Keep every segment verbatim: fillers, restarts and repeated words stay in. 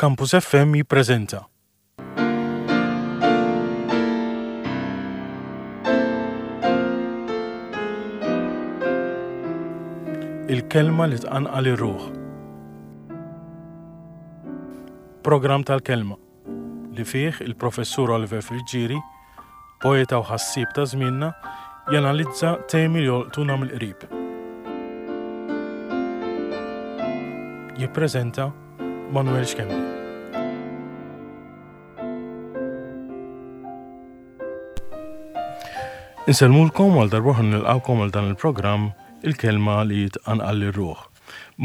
Campus F M jippreżenta Il-kelma li tqanqal ir-ruħ. Programm tal-kelma li fih il-Professur Oliver Friggieri, poeta u ħassieb ta' żmienna, janalizza temi li jolqtuna mill-qrib. Jippreżenta Manuel Schembri. Insellmulkom għal darb'oħra, nilqgħukom għal dan il-programm Il-kelma li tqanqal ir-ruħ.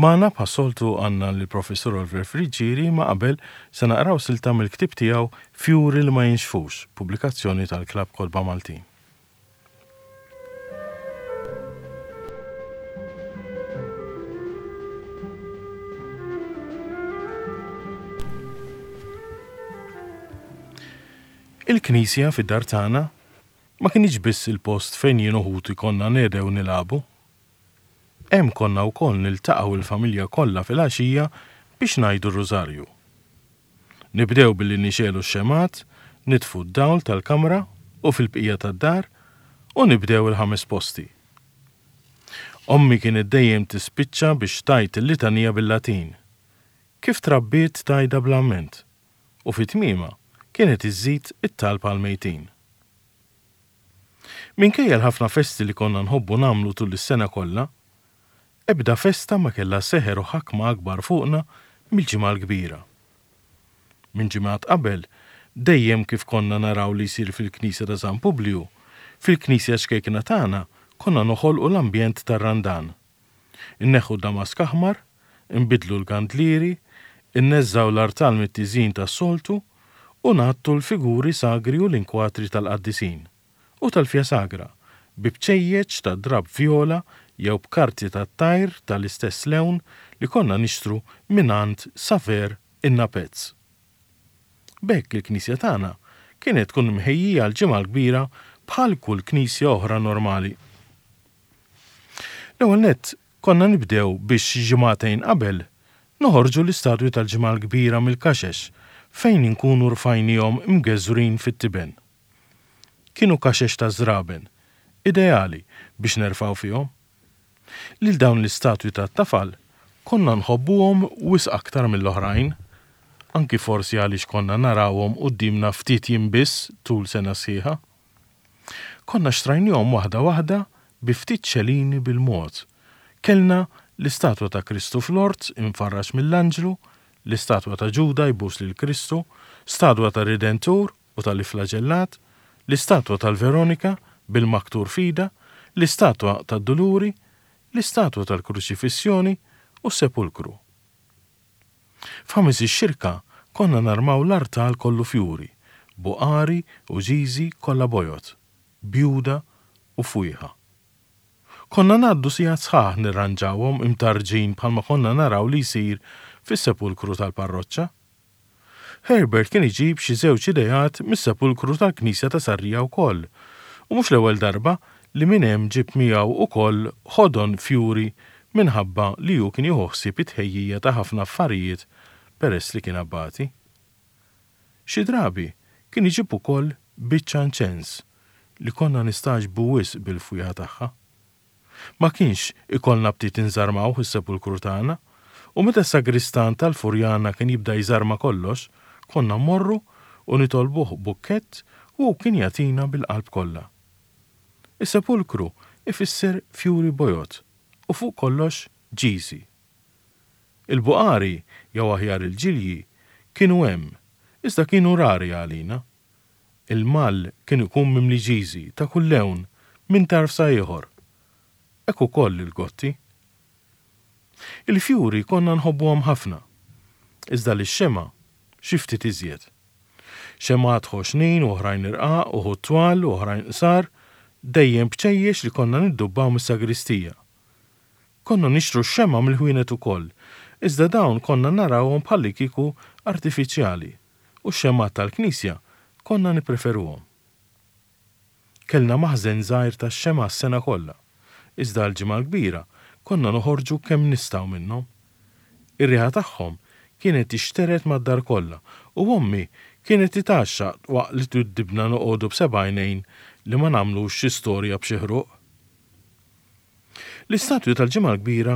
Magħna bħas-soltu għandna l-Professur Oliver Friggieri, imma qabel se naqraw silta mill-ktib tiegħu Fjuri li ma jinxfux, pubblikazzjoni tal-Klab Kotba Maltin. Il-knisja fid-dar tagħna ma kienx biss il-post fejn jien u ħuti konna nehdew nilagħbu. Hemm konna wkoll niltaqgħu il-familja kollha fil-għaxija biex ngħidu r-rużarju. Nibdew billi nixegħlu x-xemgħat, nitfu d-dawl tal-kamra u fil-bqija tad-dar u nibdew il-ħames posti. Ommi kienet dejjem tispiċċa biex tgħid il-litanija bil-Latin. Kif trabbiet tgħidha bl-amment u fit-tmiema kienet iżżid it-talb għal-mejtin. Minkejja l-ħafna festi li konna nħobbu nagħmlu tul is-sena kollha, ebda festa ma kellha seħer u ħakma akbar fuqna mill-Ġimgħa l-Kbira. Minn ġimgħat qabel, dejjem kif konna naraw li jsir fil-Knisja ta' San Publiju, fil-Knisja ċkejkna tagħna konna noħolqu l-ambjent tar-Randan. Inneħħu damask aħmar, nbidlu l-kandlieri, inneżżgħu l-artal mit-tiżjin tas-soltu u ngħattu l-figuri sagri u l-inkwatri tal-qaddisin u tal-fja sagra bi bċejjeċ ta' drab viola jew b'karti ta' tajr tal-istess lewn li konna nixtru mingħand Saver in-Napezz. B'hekk il-knisja tagħna kienet tkun mħejjija l-Ġimgħa l-Kbira bħal kull knisja oħra normali. L-ewwel nett konna nibdew biex ġimagħtejn qabel noħorġu l-istatwi tal-Ġimgħa l-Kbira mill-kaxex fejn inkunu rfajnihom imgeżwrin fit-tiben. Kienu kaxex ta' żraben, ideali biex nerfgħu fihom. Lil dawn l-istatwi tat-tafal konna nħobbuhom wisq aktar mill-oħrajn, anki forsi għaliex konna narawhom quddiemna ftit jiem biss tul sena sħiħa. Konna xtrajnihom waħda waħda bi ftit ċelini bil-mod. Kellna l-istatwa ta' Kristu fl-ort imfarraġ mill-anġlu, l-istatwa ta' Ġuda jbus lil Kristu, statwa ta' Redentur u tal-Iflaġellat, l-istatwa tal-Veronika bil-maktur f'idha, l-istatwa tad-Duluri, l-istatwa tal-Kruċifissjoni u s-Sepulkru. F'Ħamis ix-Xirka konna narmaw l-artal kollu fjuri, buqari u ġiżi kollha bojod, bjuda u fwieħa. Konna ngħaddu sigħat sħaħ nirranġawhom imtarġin bħalma konna naraw li jsir fis-sepulkru tal-parroċċa. Herbert kien iġib xi żewġ ideat mis-sepulkru tal-Knisja ta' Sarrija wkoll, u mhux l-ewwel darba li minn hemm ġib miegħu ukoll ħodon fjuri minħabba li hu kien jieħu ħsieb it-tħejjija ta' ħafna affarijiet peress li kien abbati. Xi drabi kien iġib ukoll biċċa inċens li konna nistagħġbu wisq bil-fwieħa tagħha. Ma kienx ikollna ftit inżarmaw is-sepulkru tagħna, u meta s-sagristan tal-Furjana kien jibda jżarma kollox, konna mmorru u nitolbuh bukkett u kien jagħtina bil-qalb kollha. Is-sepulkru ifisser fjuri bojod u fuq kollox ġiżi. Il-buqari jew aħjar il-ġilji kienu hemm, iżda kienu rari għalina. Il-mall kien ikun mimli ġiżi ta' kull lewn minn tarf sa ieħor. Hekk ukoll il-gotti. Il-fjuri konna nħobbuhom ħafna, iżda lix-xemgħa xi ftit iżjed. Xemgħat ħoxnin u oħrajn irqaq, uħud twal u oħrajn qsar, dejjem bċejjex li konna niddubbaw mis-sagristija. Konna nixtru x-xemgħa mill-ħwienet ukoll, iżda dawn konna narawhom bħalli kieku artifiċjali u x-xemgħat tal-knisja konna nippreferuhom. Kellna maħżen żgħir tax-xemgħa s-sena kollha, iżda l-Ġimgħa l-Kbira konna noħorġu kemm nistgħu minnhom. Ir-riħa tagħhom kienet tixtered mad-dar kollha u ommi kienet titgħaxxaq waqt li twiddibna noqogħdu b'seba' għajnejn li ma nagħmlux xi storja b'xi ħruq. L-istatwi tal-Ġimgħa l-Kbira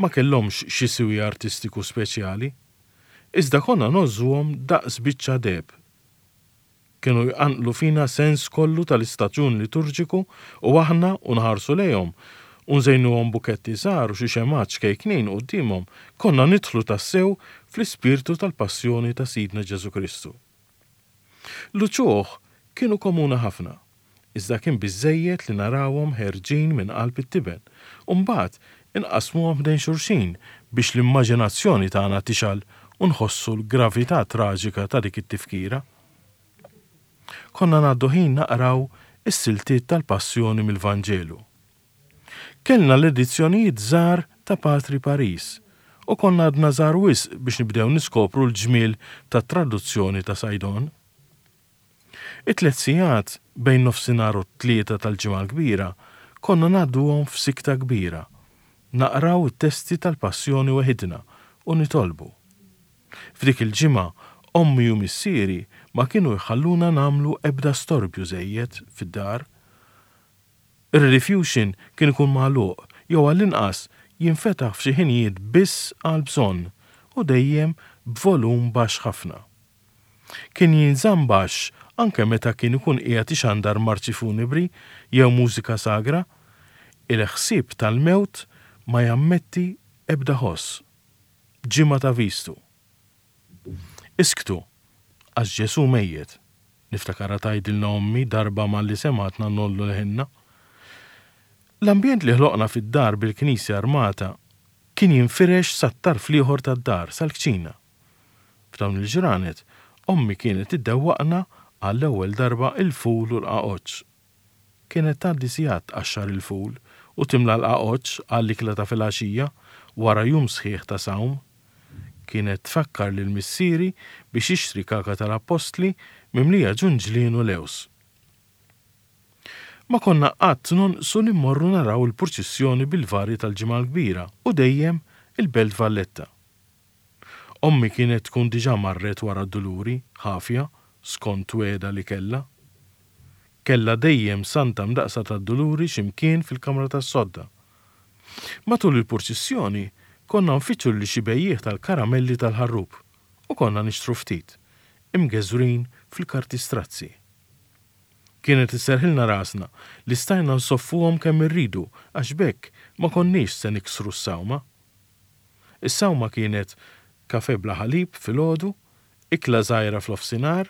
ma kellhomx xi siwi artistiku speċjali, iżda konna ngħożżuhom daqs biċċa deheb. Kienu jqanqlu fina sens kollu tal-istaġun liturġiku u aħna u nħarsu lejhom u nżejnuhom buketti żgħar u xi xemgħat ċkejknin quddiemhom, konna nidħlu tassew fl-ispirtu tal-passjoni ta' Sidna Ġesù Kristu. L-uċuħ kienu komuni ħafna, iżda kien biżżejjed li narawhom ħerġin minn qalb it-tiben u mbagħad inqasmuhom ħdejn xulxin biex l-immaġinazzjoni tagħna tixgħal u nħossu l-gravità traġika ta' dik it-tifkira. Konna ngħaddu ħin naqraw is-siltiet tal-Passjoni mill-Vanġelu. Kellna l-edizzjonijiet żgħar ta' Patri Paris u konna għadna żgħar wisq biex nibdew niskopru l-ġmiel tat-traduzzjoni ta' Saydon. It-tliet sigħat bejn nofsinhar u t-tlieta tal-Ġimgħa l-Kbira konna ngħadduhom f'sikta kbira, naqraw it-testi tal-Passjoni weħidna u nitolbu. F'dik il-ġimgħa ommi u missieri ma kienu jħalluna nagħmlu ebda storbju żejjed fid-dar. Ir-Rediffusion kien ikun magħluq jew għall-inqas jinfetaħ f'xi ħinijiet biss għal bżonn u dejjem b'volum baxx ħafna. Kien jinżamm baxx anke meta kien ikun qiegħed ixandar marċi funebri jew mużika sagra, il-ħsieb tal-mewt ma jammetti ebda ħoss. Ġimgħa ta' vistu. Isktu, għax Ġesù mejjet, niftakarha tgħidilna ommi darba malli semgħetna ngħollu leħinna. L-ambjent li ħloqna fid-dar bil-knisja armata kien jinfirex sat-tarf l-ieħor tad-dar, sal-kċina. F'dawn il-ġranet, ommi kienet iddewwaqna għall-ewwel darba il-ful u l-qaqoċċ. Kienet tgħaddi sigħat tqaxxar il-ful u timla l-qaqoċċ għall-ikla ta' filgħaxija wara jum sħiħ ta' sawm. Kienet tfakkar lil missieri biex jixtri kaka tal-appostli mimlija ġunġlien u lews. Ma konna qatt nonqsu li mmorru naraw il-purċissjoni bil-vari tal-Ġimgħa l-Kbira u dejjem il-Belt Valletta. Ommi kienet tkun diġà marret wara d-duluri, ħafja, skont wegħda li kellha. Kellha dejjem Santa Mdaqsa tad-Duluri x'imkien fil-kamra tas-sodda. Matul il-purċissjoni konna nfittxu lil xi bejjiegħ tal-karamelli tal-ħarrub u konna nixtru ftit, imgeżwrin fil-karti strazzi. Kienet isserħilna rasna li stajna nsoffuhom kemm irridu għax b'hekk ma konniex se niksru s-sawma. Is-sawma kienet kafe bla ħalib filgħodu, ikla żgħira fl-ofsinhar,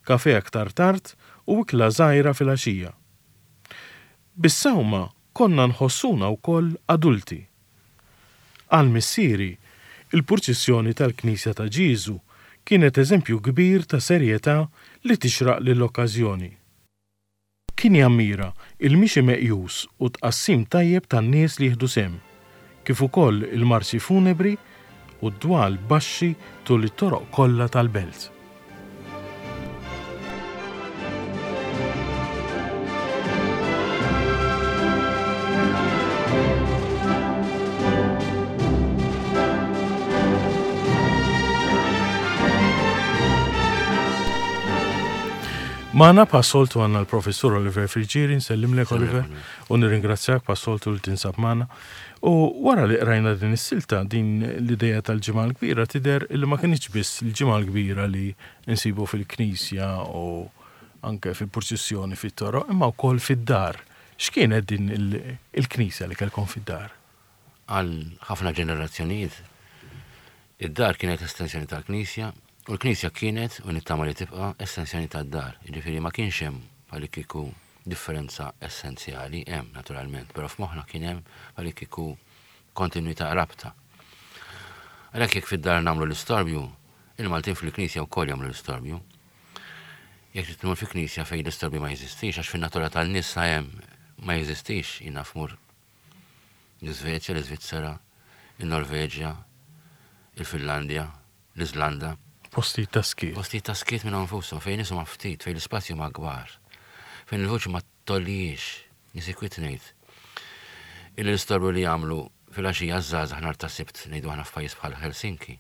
kafe aktar tard u ikla żgħira filgħaxija. Bis-sawma konna nħossuna wkoll adulti. Għal missieri, il-purċissjoni tal-Knisja ta' Ġieżu kienet eżempju kbir ta' serjetà li tixraq lill-okkażjoni. Kien jammira il-mixi meqjus u tqassim tajjeb tan-nies li jieħdu sehem, kif ukoll il-marċi funebri u d-dwal baxxi tul it-toroq kollha tal-belt. Magħna bħas-soltu għandna l-Professur Oliver Friggieri, nsellimlek Oliver, u nirringrazzjak bħas-soltu li tinsab magħna. U wara li qrajna din is-silta, din l-idea tal-Ġimgħa l-Kbira tidher li ma kinitx biss l-Ġimgħa l-Kbira li nsibu fil-Knisja u anke fil-purċissjoni fit-toroq, imma wkoll fid-dar. X'kienet din il-Knisja li kellkom fid-dar? Għal ħafna ġenerazzjonijiet, id-dar kienet estensjoni tal-Knisja, u l-Knisja kienet, u nittama li tibqa', estensjoni tad-dar. Jiġifieri ma kienx hemm bħalikieku differenza essenzjali, hemm naturalment, però f'moħħna kien hemm bħalikieku kontinuità rabta. Għalhekk jekk fid-dar nagħmlu l-istorbju, il-Maltin fil-Knisja wkoll jagħmlu l-istorbju. Jekk trid tmur fi Knisja fejn l-istorbju ma jeżistix, għax fin-natura tan-nies sa hemm ma jeżistix, jiena fmur l-Iżvezja, l-Iżvizzera, il-Norveġja, il-Finlandja, l-Iżlanda. Postijiet ta' skiet. Postijiet ta' skiet minn nfushom, fejn nies huma ftit, fejn l-ispazju ma kbar, fejn il-vuċi ma tollijiex, nisikwit ngħid. Illi l-istorbju li jagħmlu fil-għaxija żgħażagħ nhar ta' Sibt ngħidu aħna f'pajjiż bħal Helsinki.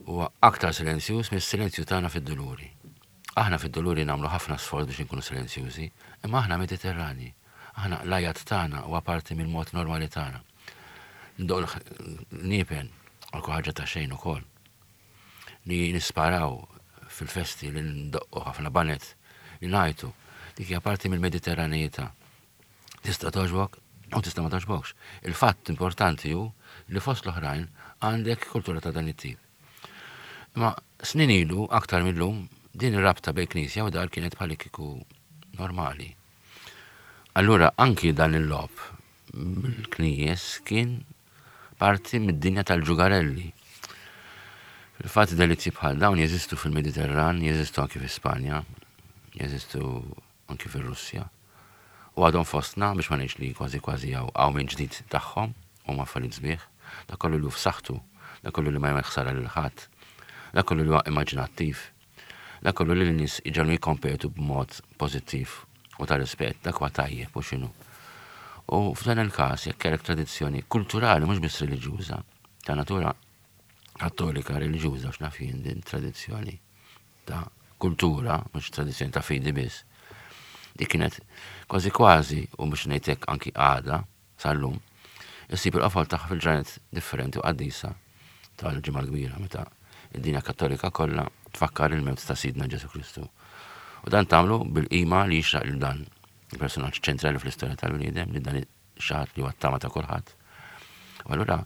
Huwa aktar silenzjuż mis-silenzju tagħna fid-duluri. Aħna fid-duluri nagħmlu ħafna sforz biex inkunu silenzjużi, imma aħna Mediterrani. Aħna l-għajat tagħna huwa parti mill-mod normali tagħna. Ndoqqu l-qniepen għal ħaġa ta' xejn ukoll. Li nisparaw fil-festi, li ndoqqu ħafna baned, li ngħajtu. Dik hija parti mill-Mediterranejità. Tista' togħġbok u tista' ma togħġbokx. Il-fatt importanti hu li fost l-oħrajn għandek kultura ta' dan it-tip. Ma snin ilu, aktar mill-lum, din ir-rabta bejn knisja u dar kienet bħal kieku normali. Allura anki dan il-logħob bil-knejjes kien parti mid-dinja tal-ġugarelli. Fil-fatt delizzi bħal dawn jeżistu fil-Mediterran, jeżistu anki fi Spanja, jeżistu anki fil-Russja. U għadhom fostna biex ma ngħidx li kważi kważi hawn hawn minn ġdid tagħhom huma affarijiet sbieħ, dak kollu li hu f'saħħtu, dak kollu li ma jagħmel ħsara lil ħadd, dak kollu li huwa immaġinattiv, dak kollu li l-nies iġegħlu jikkompetu b'mod pożittiv u ta' rispett, dak huwa tajjeb u x'inhu. U f'dan il-każ jekk kellek tradizzjoni kulturali mhux biss reliġjuża, ta' natura kattolika reliġjuża x'naf jien din tradizzjoni ta' kultura, mhux tradizzjoni ta' fidi biss. Dik kienet kważi kważi u mhux ngħidlek anki għada sal-lum, issib il-qofol tagħha fil-ġranet differenti u qaddisa tal-Ġimgħa l-Kbira meta id-dinja kattolika kollha tfakkar il-mewt ta' Sidna Ġesu Kristu. U dan tagħmlu bil-qima li jixraq lil dan il-personaġġ ċentrali fl-istorja tal-bniedem, li dan xi ħadd li huwa t-tama ta' kulħadd. U allura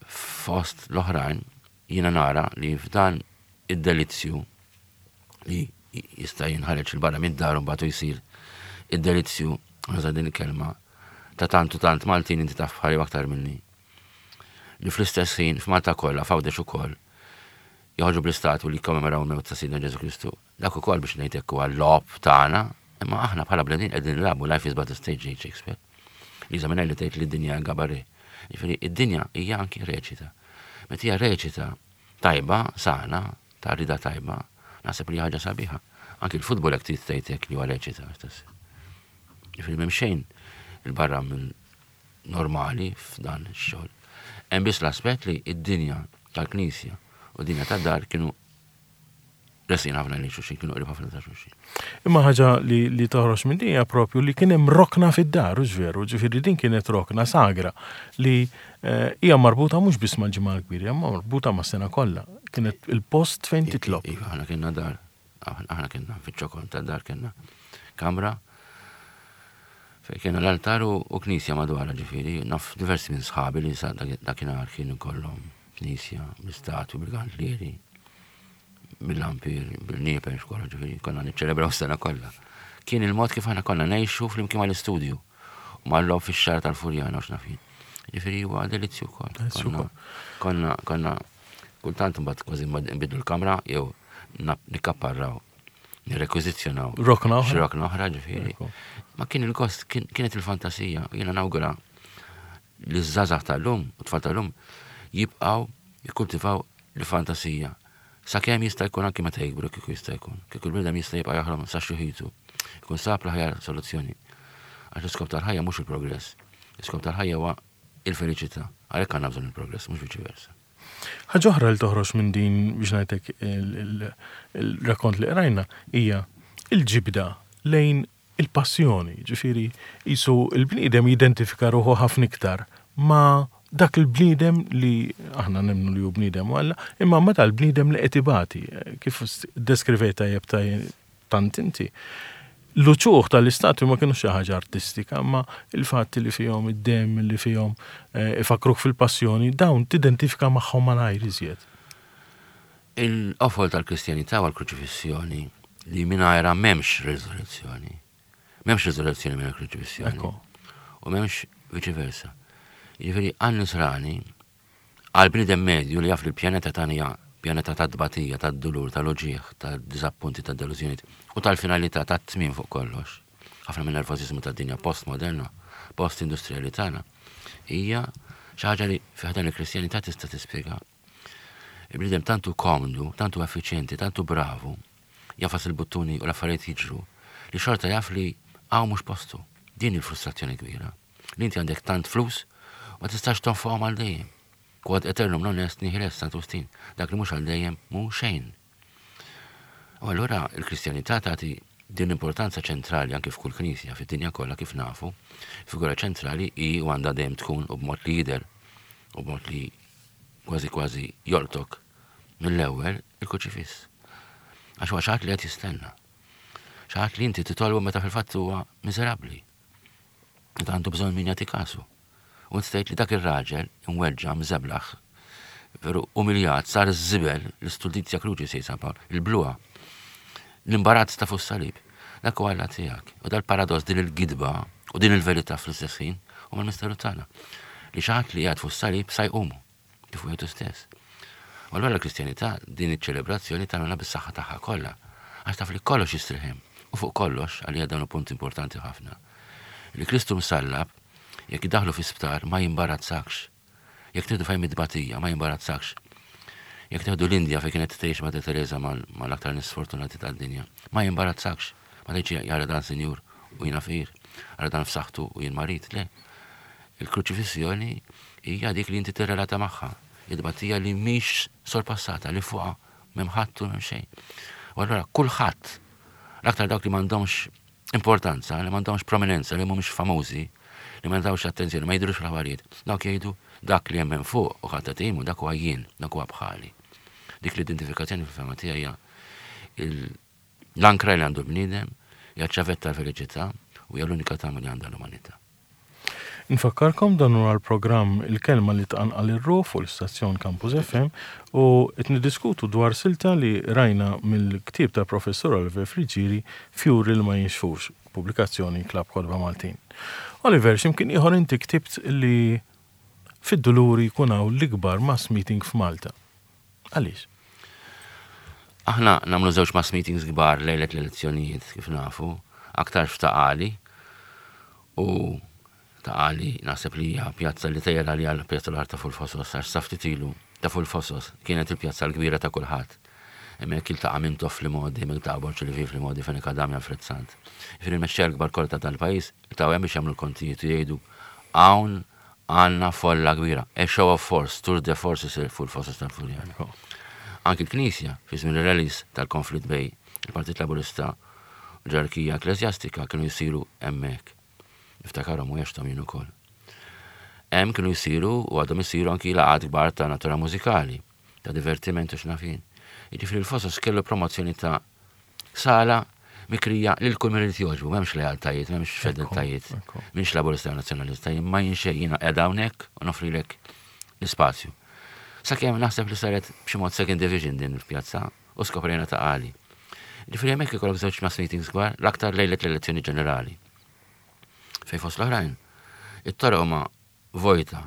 fost l-oħrajn jiena nara li f'dan id-delizzju li jista' jinħareġ 'il barra mid-dar u mbagħad jsir id-delizzju, nuża din il-kelma, ta' tant u tant Maltin, inti taf bħali aktar minni. Li fl-istess ħin f'Malta kollha, f'Għawdex ukoll, joħorġu bl-istatwi li jikkommemoraw il-mewt ta' Sidna Ġesu Kristu. Dak ukoll biex ngħidlek huwa l-logħob tagħna, imma aħna bħala bnedmin qegħdin nilagħbu, "Life is but a stage," jgħid Shakespeare. Liza Minnelli tgħid li d-dinja cabaret. Jiġifieri id-dinja hija anki reċita. Meta hija reċita tajba, sana, ta' rida tajba, naħseb li ħaġa sabiħa. Anki l-futbol jekk trid tgħid hekk li huwa reċita. Jiġifieri m'hemm xejn 'il barra minn normali f'dan ix-xogħol. Hemm biss l-aspett li id-dinja tal-Knisja u d-dinja tad-dar kienu resqin ħafna lejn xulxin, kienu qrib ħafna ta' xulxin. Imma ħaġa li, li toħroġ minn din hija propju li kien hemm rokna fid-dar, hux veru, ġifieri din kienet rokna sagra li eh, hija marbuta mhux biss mal-Ġimgħa l-Kbira, hija marbuta mas-sena kollha. Kienet il-post fejn titlob. Iva, aħna kienna dar, aħna kienna fiċ-ċokon tad-dar kienna kamra fejn kienna l-altar u u knisja madwarha. Ġifieri, naf diversi minn sħabi li sa dak- dakinhar kienu kollhom knisja, bl-istatwi, bil-kandlieri, bil-lampier, bil-qniepen, xkolla, ġifieri, konna niċċelebraw s-sena kollha. Kien il-mod kif aħna konna ngħixu flimkien mal-istudju u mal-logħob fix-xagħar tal-Furjana u x'naf jien. Ġifieri huwa delizzju wkoll. Delizzju Konna- wkoll. Konna, konna, kultant mbagħad kważi nbidlu l-kamra jew nap- nikkapparraw, nirrekwiżizzjonaw. Rokna oħra. Xi rokna oħra, ġifieri. Ekku. Ma kien il-gost, kien- kienet il-fantasija. Jiena nawgura li ż-żgħażagħ tal-lum u tfal tal-lum jibqgħu jikkultivaw il-fantasija. Sakemm jista' jkun, anki meta jikbru kieku jista' jkun. Kieku l-bniedem jista' jibqa' jaħlom sa xjuħitu. Jkun sab l-aħjar soluzzjoni. Għax l-iskop tal-ħajja mhux il-progress. L-iskop tal-ħajja huwa il-felicità. Għalhekk għandna bżonn il-progress, mhux viċi versa. Ħaġa oħra li toħroġ minn din, biex ngħidlek, il- il-rakkont li qrajna hija il-ġibda lejn il-passjoni, ġifieri jisu il-bniedem jidentifika ruħu ħafna iktar ma dak il-bniedem li aħna nemmnu li hu bniedem u Alla, imma ma tal-bniedem li qed ibati, kif deskrivejta tajjeb tant inti. L-uċuħ tal-istatwi ma kienu xi ħaġa artistika, ma il-fatt li fihom id-dem, li fihom eh, ifakruk fil-passjoni, dawn tidentifika magħhom malajr iżjed. Il-qofol tal-Kristjanità huwa l-kruċifissjoni li mingħajrha m'hemmx riżoluzzjoni. M'hemmx riżoluzzjoni mingħajr kruċifissjoni. Ekku. U m'hemmx viċi versa. Jiġifieri għan-nisrani, għal bniedem medju li jaf li l-pjaneta tagħna hija pjaneta ta' tbatija, ta' dulur, ta' uġigħ, ta' diżappunti, ta' delużjoni u tal-finalità, ta' tmiem fuq kollox. Ħafna minn nervożiżmu ta' dinja post-moderna, post-industriali tagħna, hija xi ħaġa li fi ħdan il-Kristjanità tista' tispjega. Il-bniedem tantu komdu, tantu effiċjenti, tantu bravu, jagħfas il-buttuni u l-affarijiet jiġru, li xorta jaf li hawn mhux postu. Din il-frustrazzjoni kbira. Li inti għandek tant flus, ma tistax tonfoqhom għal dejjem. Quod aeternum non est nihil est, Sant Wistin. Dak li mhux għal dejjem mhu xejn. U allura il-Kristjanità tagħti din l-importanza ċentrali anke f'kull knisja fid-dinja kollha kif nafu. Figura ċentrali hi u għandha dejjem tkun u b'mod li jidher u b'mod li kważi kważi jolqtok mill-ewwel il-kruċifiss. Għax huwa xi ħadd li qed jistenna. Xi ħadd li inti titolbu meta fil-fatt huwa miżerabbli. Meta għandu bżonn min jagħti kasu. U inti tgħid li dak ir-raġel imweġġa' mżeblaħ, veru umiljat, sar iż-żibel, l-istultizia crucis jgħid San Pawl, il-bluha, l-imbarazz ta' fuq salib. Dak huwa Alla tiegħek. U dal-paradoss, din il-gidba u din il-verità fl-istess ħin huma l-misteru tagħna. Li xi ħadd li qiegħed fuq salib sa jqumu, kif hu jgħidu stess. U allura l-Kristjanità din iċ-ċelebrazzjoni tagħmilha bis-saħħa tagħha kollha. Għax taf li kollox jistrieħ hemm. U fuq kollox, għalija dan hu punt importanti ħafna. Li Kristu msallab, jekk idaħlu fi sptar ma jimbarazzakx. Jekk tieħdu fejn id-tbatija ma jimbarazzakx. Jekk tieħdu l-Indja fejn kienet tgħix Madre Teresa mal-, mal-aktar nies sfortunati tad-dinja, ma jimbarazzakx. Ma tgħidx jara dan sinjur u jiena fqir, jara dan f'saħħtu u jien marid, le. Il-kruċifissjoni hija dik li inti tirrelata magħha, id-tbatija li mhix sorpassata, li fuqha m'hemm ħadd u m'hemm xejn. U allura kulħadd, l-aktar dawk li m'għandhomx importanza, li m'għandhomx prominenza, li mhumiex famużi, li ma jingħatawx attenzjoni, ma jidhrux fl-aħbarijiet, dawk jgħidu dak li hemm hemm fuq u ħadd qed dak huwa jien, dak huwa bħali. Dik l-identifikazzjoni fil-fehma tiegħi hija il-, l-ankra li għandu l-bniedem, hija ċavetta tal-felicità u hija l-unika tama li għandha l-umanità. Nfakkarkom dan huwa l-programm Il-Kelma li tqanqal ir-ruħ fuq l-istazzjon Campus F M u qed niddiskutu dwar silta li rajna mill-ktieb ta' Professur Oliver Friggieri, Fjuri li ma jinxfux, pubblikazzjoni Klabb Kotba Maltin. Oliver, x'imkien ieħor inti ktibt li fid-Duluri jkun hawn l-ikbar mass meeting f'Malta. Għaliex? Aħna nagħmlu żewġ mass meetings kbar lejlet l-elezzjonijiet kif nafu, aktar f'Ta' Qali u Ta' Qali naħseb li hija pjazza li tejjel għalija l-pjazza l-art ta' fuq il-Fosos, għax sa ftit ilu ta' fuq il-Fosos kienet il-pjazza l-kbira ta' kulħadd. Hemmhekk iltaqa' Mintoff fl-imgħoddi, hemmhekk iltaqa' Borg Olivier fl-imgħoddi, Fenech Adami, Alfred Sant. Jiġifieri l-mexxejja l-kbar kollha ta' dal-pajjiż iltaqgħu hemm biex jagħmlu l-kontijiet u jgħidu hawn għandna folla kbira. A show of force, tour de force isir fuq il-Fosos tal-Furjana. Anki l-Knisja, fi żmien ir-rallies tal-konflitt bejn il-Partit Laburista u l-ġerarkija ekklesjastika kienu jsiru hemmhekk. Niftakarhom u għexthom jien ukoll. Hemm kienu jsiru u għadhom isiru anki laqgħat kbar ta' natura mużikali, ta' divertiment u x'naf jien. Jiġifieri l-Fosos kellu promozzjoni ta' sala mikrija lil kull min irid jogħġbu, m'hemmx lealtajiet, m'hemmx fedeltajiet, Ekku. m'hemmx Laburista u Nazzjonalista, jien ma jien xejn, jiena qiegħda hawnhekk u noffrilek l-ispazju. Sakemm naħseb li saret b'xi mod second division din il-pjazza u skoprejna Ta' Qali. Ġifieri hemmhekk ikollok żewġ mass meetings kbar, l-aktar lejlet l-elezzjoni ġenerali. Fej fost l-oħrajn, it-toroq huma vojta.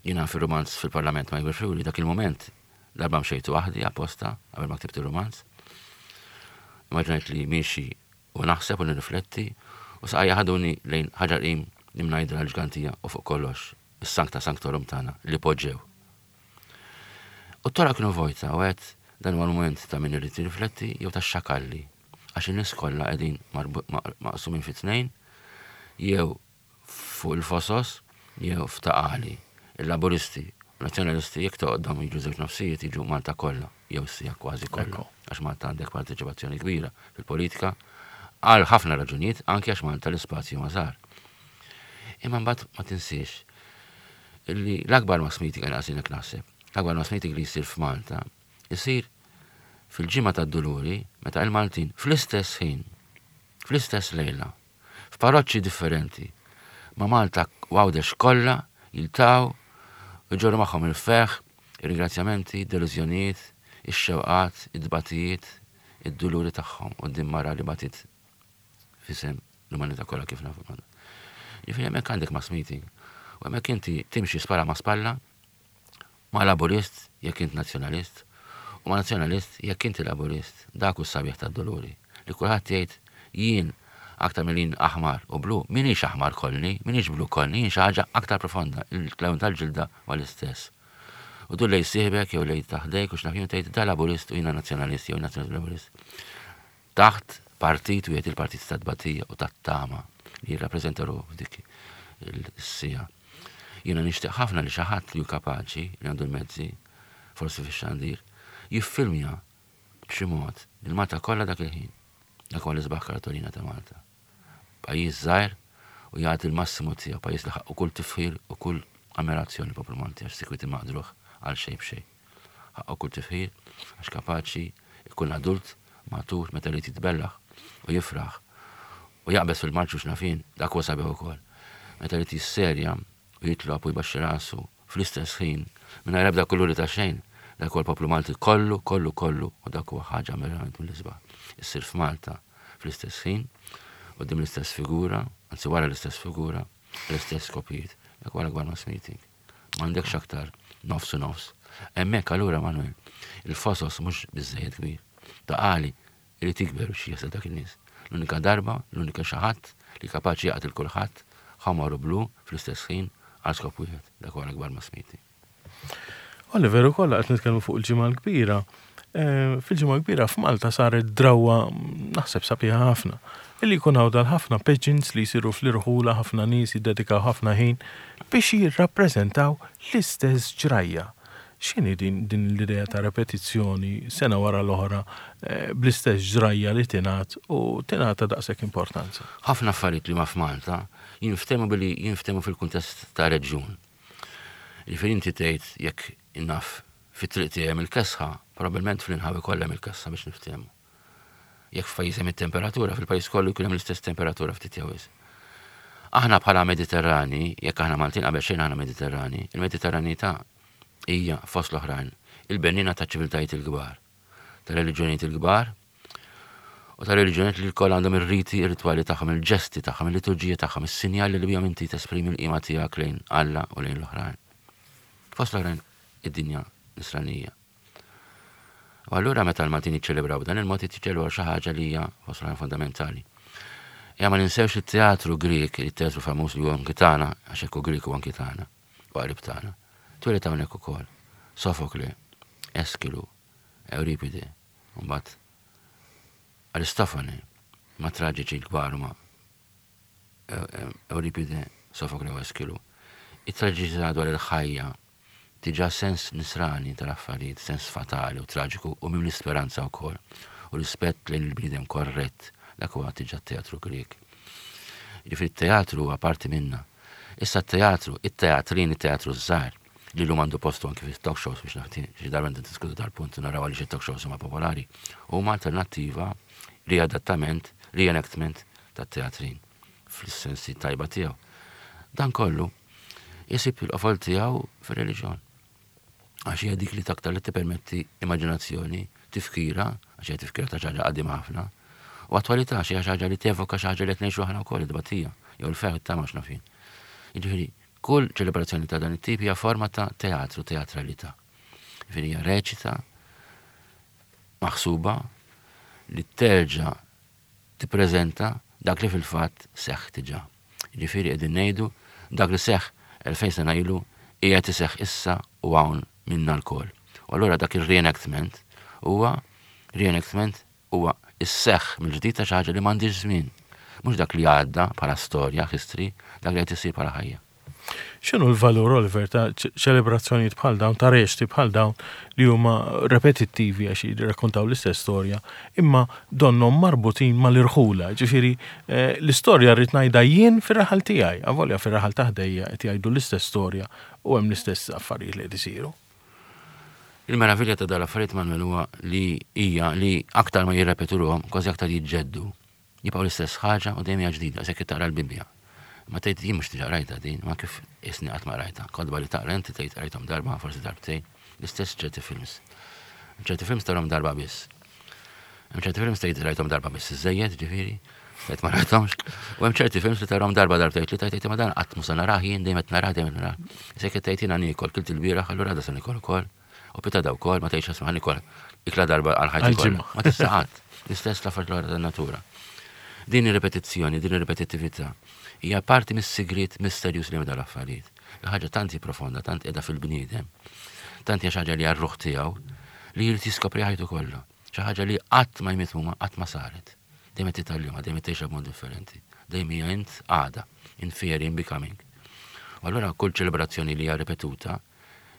Jiena fir-rumanz Fil-Parlament ma Jikber Friwli, dak il-moment darba mxejtu waħdi apposta qabel ma ktibt ir-rumanz. Immaġinajt li miexi u naħseb u nirrifletti u saqajja ħaduni lejn Ħaġar Qim, l-Imnajdra, l-Ġgantija u fuq kollox is-Sancta Sanctorum tagħna li poġġew. U t-toroq kienu vojta u għedt dan huwa l-moment ta' min irid jirrifletti jew ta' xakalli għax in-nies kollha qegħdin marbu-, ma-, maqsumin fi tnejn jew fuq il-Fosos jew f'Ta' Qali. Il-Laburisti u Nazzjonalisti jekk toqgħodhom jiġu żewġ nofsijiet jiġu Malta kollha jew sija kważi kollha. Ekku. Għax Malta għandek parteċipazzjoni kbira fil-politika għal ħafna raġunijiet, anke għax Malta l-ispazju ma żgħar. Imma mbagħad ma tinsiex illi l-akbar mass meeting għal għasinek naħseb, l-akbar mass meeting li jsir f'Malta jsir fil-ġimgħa tad-Duluri meta il-Maltin fl-istess ħin, fl-istess lejla, f'parroċċi differenti, ma' Malta u Għawdex kollha jiltaqgħu u jġorru magħhom il-ferħ, ir-ringrazzjamenti, id-delużjonijiet, ix-xewqat, id-dbatijiet, id-duluri tagħhom quddiem mara li batit f'isem l-umanità kollha kif nafu. Ġifieri hemmhekk għandek mass meeting u hemmhekk inti timxi spalla ma' spalla ma' Laburist jekk int nazzjonalist u ma' nazzjonalist jekk inti Laburist. Dak hu s-sabiħ tad-Duluri li kulħadd jgħid jien aktar mill aħmar u blu, minix aħmar kollni, minix blu kollni, jien xi ħaġa aktar profonda, il-lewn tal-ġilda huwa l-istess. U dur lejn sieħbek jew lejn taħdejk u x'naf jien tgħid da Laburist u jiena nazzjonalist jew nazzjonalist Laburist. Taħt partit wieħed, il-partit ta' tbatija u tat-tama li jirrappreżenta ruħu f'dik il-sija. Jiena nixtieq ħafna li xi ħadd li hu kapaċi, li għandu l-mezzi, forsi fix-xandir, jiffilmja b'xi mod il-Malta kollha dak il-ħin. Dak huwa l-isbaħ kartolina ta' Malta. Pajjiż żgħir u jagħti l-massimu tiegħu, pajjiż li ħaqqu kull tifħir u kull ammirazzjoni poplu Malti għax sikwiti maqdruh għal xejn b'xejn. Ħaqqu kull tifħir għax kapaċi jkun adult matur meta li jitbellaħ u jifraħ u jaqbeż fil-marċu x'nafin, dak huwa sabiħ ukoll. Meta li jisserja u jitlob u jbaxxi rasu fl-istess ħin mingħajr ebda kuluri ta' xejn, dak huwa l-poplu Malti kollu, kollu, kollu, u dak huwa ħaġa verament mill-isbaħ. Issir f'Malta fl-istess ħin, quddiem l-istess figura, anzi wara l-istess figura, l-istess skopijiet. Dak huwa l-akbar mass meeting. M'għandekx aktar nofs u nofs. Hemmhekk allura Manuel, il-fosos mhux biżejjed kbir. Ta' għali irid jikber biex jasal dak in-nies. L-unika darba, l-unika xi ħadd li kapaċi jaqt il kulħadd ħamar u blu fl-istess ħin għal skop wieħed. Dak huwa l-akbar mass meeting. Oliver, ukoll qed nitkellmu fuq il-Ġimgħa l-Kbira. Fil-Ġimgħa l-Kbira f'Malta saret drawwa naħseb sabiħa ħafna. Illi jkun hawn dal-ħafna pageants li jsiru fl-irħula, ħafna nies jiddedikaw ħafna ħin biex jirrappreżentaw l-istess ġrajja. X'inhi din, din l-idea ta' repetizzjoni sena wara l-oħra bl-istess ġrajja li tingħad u tingħata daqshekk importanza? Ħafna affarijiet li ma f'Malta jinftehmu billi jinftehmu fil-kuntest ta' reġjun. Jiġifieri inti tgħid jekk naf fit-triq tiegħi hemm il-kesħa, probabbilment fl-inħawi kollha hemm il-kesħa biex niftehmu. Jekk f'pajjiż hemm it-temperatura, fil-pajjiż kollu jkun hemm l-istess temperatura ftit jew wisq. Aħna bħala Mediterrani, jekk aħna Maltin qabel xejn aħna Mediterrani, il-Mediterranità hija fost l-oħrajn il-bennina ta' ċiviltajiet il-kbar, ta' reliġjonijiet il-kbar u ta' reliġjonijiet li lkoll għandhom ir-riti, ir-ritwali tagħhom, il-ġesti tagħhom, il-liturġija tagħhom, is-sinjali li bihom inti tesprimi l-qima tiegħek lejn Alla u lejn l-oħrajn. Fost l-oħrajn id-dinja nisranija. U allura meta l-Maltin jiċċelebraw dan il-mod jiċċelebraw xi ħaġa li hija fost l-oħrajn fondamentali. Ja ma ninsewx it-teatru Grek, il-teatru famuż li huwa anki tagħna, għax hekk hu Grek u anki tagħna, u qarib tagħna. Twieled hawnhekk ukoll. Sofokle, Eskilu, Euripide, u mbagħad Aristofane, ma traġiċi l-kbar huma Euripide, Sofokle u Eskilu. It-traġiċità dwar il-ħajja tiġa sens nisrani tal-affarijiet, sens fatali u traġiku u mimli speranza wkoll u rispett lejn il-bniedem korrett, dak huwa tiġa teatru Grek. Jiġifieri t-teatru huwa parti minna. Issa t-teatru, it-teatrin, it-teatru żgħar, li llum għandu postu anki fit-talk shows biex naħti xi darba niddiskutu dal-punt u naraw għaliex it-talk shows huma popolari, huma alternattiva, riadattament, reenactment tat-teatrin fl-sensi tajba tiegħu. Dan kollu jisib il-qofol tiegħu fir-reliġjon. Għax hija dik li taktar li tippermetti immaġinazzjoni, tifkira, għax hija tifkira ta' xi ħaġa qadima ħafna, u attwalità xi ħaġa li tevoka xi ħaġa li qed ngħixu aħna wkoll id-tbatija, jew il-ferħ it-tama x'nafin. Jiġifieri, kull ċelebrazzjoni ta' dan it-tip hija forma ta' teatru, teatralità. Jiġifieri hija reċita maħsuba li terġa' tippreżenta dak li fil-fatt seħħ diġà. Jiġifieri qegħdin ngħidu dak li seħħ elfejn sena ilu qiegħed iseħħ issa u hawn minna lkoll. U allura dak ir-reenactment huwa reenactment huwa isseħħ mill-ġdid ta' xi ħaġa li m'għandix żmien. Mhux dak li għadda bħala storja, history, dak li qed isir bħala ħajja. X'inhu l-valur, Oliver, ta' ċelebrazzjonijiet bħal dawn, ta' reċti bħal dawn li huma repetittivi għax jirrakkontaw l-istess storja, imma donnhom marbutin mal-irħula, ġifieri l-istorja rrid ngħidha jien fir-raħal tiegħi, avolja fir-raħal ta' ħdejja qed jgħidu l-istess storja u hemm l-istess affarijiet li qed isiru. Il-meravilja ta' dal-affarijiet Manuel huwa li hija li aktar ma jirrepetuhom, kważi aktar jiġġeddu. Jibqgħu l-istess ħaġa u dejjem hija ġdida, se taqra l-Bibbja. Ma tgħid jien mhux diġà rajta din, ma kif isni qatt ma rajta. Kotba li taqra inti tgħid rajthom darba, forsi darbtejn, l-istess ċerti films. Ċerti films tarahom darba biss. Hemm ċerti films tgħid rajthom darba biss iżejjed, ġifieri, tgħid ma rajthomx. U hemm ċerti films li tarahom darba darbtejn li tgħid ma dan qatt mhux se narah jien dejjem qed narah dejjem qed narah. Se qed tgħid jiena niekol kilt ilbieraħ, allura għada se niekol ukoll. U pitgħada wkoll ma tgħidx isma' niekol ikla darba għal ħajti kollha. Ma tista' qatt. L-istess l-affarijiet l-oħra tan-natura. Din ir-ripetizzjoni, din ir-ripetittività hija parti mis-sigriet misterjuż li hemm dal-affarijiet. Il-ħaġa tant hi profonda, tant qiegħda fil-bniedem, tant hija xi ħaġa li għar-ruħ tiegħu li jrid jiskopri ħajtu kollha. Xi ħaġa li qatt ma jmiet huma, qatt ma saret. Dejjem qed titgħallimha, dejjem qed tgħixha b'mod differenti. Dejjem hija int għada, in theory, in becoming. U allura kull ċelebrazzjoni li hija ripetuta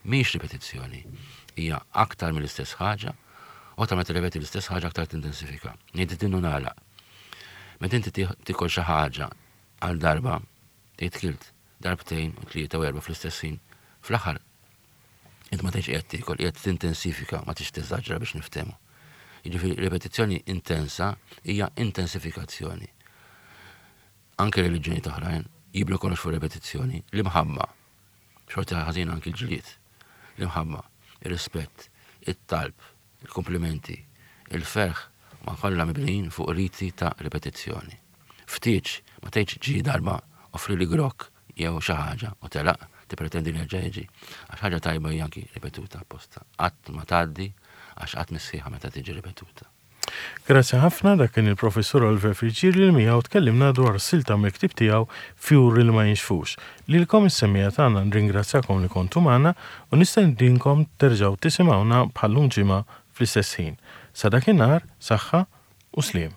mhix ripetizzjoni, hija aktar mill-istess ħaġa, u aktar ma tirrepeti l-istess ħaġa aktar tintensifika. Ngħid din u nagħlaq. Meta inti tikol xi ħaġa għal darba, tgħid kilt darbtejn u tlieta u erba' fl-istess ħin, fl-aħħar int ma tgħidx qiegħed tiekol, qiegħed tintensifika, ma tix teżaġera biex niftehmu. Jiġifieri ripetizzjoni intensa hija intensifikazzjoni. Anke reliġjoni oħrajn jibnu kollox fuq repetizzjoni, l-imħabba. Xorta ħażin anki l-ġlied. L-imħabba, ir-rispett, it-talb, il-komplimenti, il-ferħ ma kollha mibnijin fuq riti ta' ripetizzjoni. Ftit ma tgħidx ġi darba offri li grok jew xi ħaġa u telaq tippretendi li jerġa' jiġi. Għax ħaġa tajba hija anki ripetuta apposta. Qatt ma tgħaddi għax qatt missieħa meta tiġi ripetuta. Grazzi ħafna, dak kien il-professur Oliver Friggieri li miegħu tkellimna dwar silta mill-ktieb tiegħu Fjuri li ma jinxfux. Lilkom is-semmiegħa tagħna nringrazzjakom li kontu magħna u nistedinkom terġgħu tisimgħuna bħal-lum ġimgħa fl-istess ħin. Sa dakinhar, saħħa u sliem.